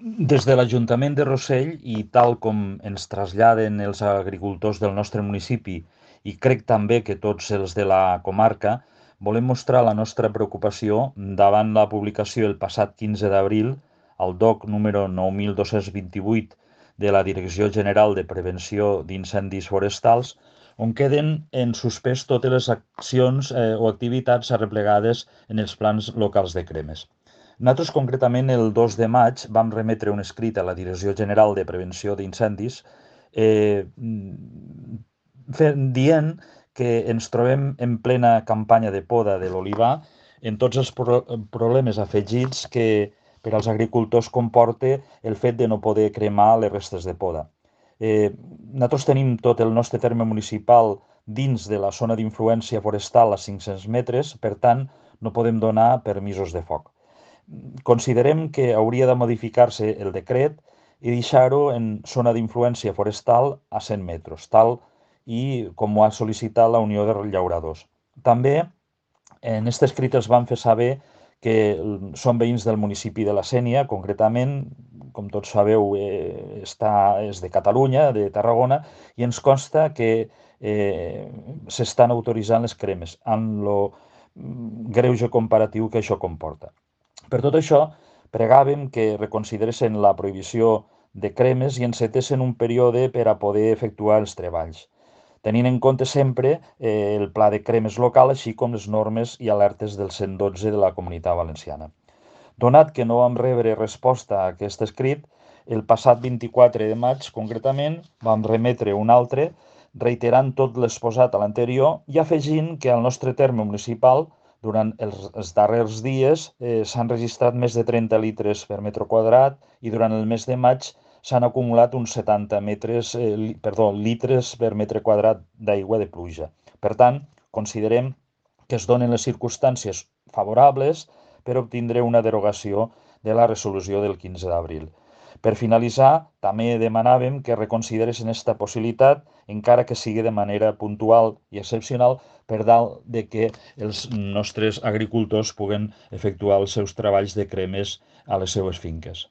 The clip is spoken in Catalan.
Des de l'Ajuntament de Rossell i tal com ens traslladen els agricultors del nostre municipi i crec també que tots els de la comarca, volem mostrar la nostra preocupació davant la publicació el passat 15 d'abril al DOC número 9228 de la Direcció General de Prevenció d'Incendis Forestals, on queden en suspès totes les accions o activitats arreplegades en els plans locals de cremes. Nosaltres, concretament, el 2 de maig vam remetre un escrit a la Direcció General de Prevenció d'Incendis eh, dient que ens trobem en plena campanya de poda de l'olivar en tots els problemes afegits que per als agricultors comporta el fet de no poder cremar les restes de poda. Nosaltres tenim tot el nostre terme municipal dins de la zona d'influència forestal a 500 metres, per tant, no podem donar permisos de foc. Considerem que hauria de modificar-se el decret i deixar-ho en zona d'influència forestal a 100 metres, tal i com ho ha sol·licitat la Unió de Llauradors. També en aquest escrit els van fer saber que són veïns del municipi de la Sénia, concretament, com tots sabeu, és de Catalunya, de Tarragona, i ens consta que s'estan autoritzant les cremes, amb el greuge comparatiu que això comporta. Per tot això, pregàvem que reconsideressin la prohibició de cremes i encetessin un període per a poder efectuar els treballs, tenint en compte sempre el pla de cremes local, així com les normes i alertes del 112 de la Comunitat Valenciana. Donat que no vam rebre resposta a aquest escrit, el passat 24 de maig, concretament, vam remetre un altre, reiterant tot l'exposat a l'anterior i afegint que al nostre terme municipal, durant els darrers dies, s'han registrat més de 30 litres per metre quadrat i durant el mes de maig s'han acumulat uns 70 litres per metre quadrat d'aigua de pluja. Per tant, considerem que es donen les circumstàncies favorables per obtindre una derogació de la resolució del 15 d'abril. Per finalitzar, també demanàvem que reconsideressin aquesta possibilitat, encara que sigui de manera puntual i excepcional, per tal de que els nostres agricultors puguen efectuar els seus treballs de cremes a les seues finques.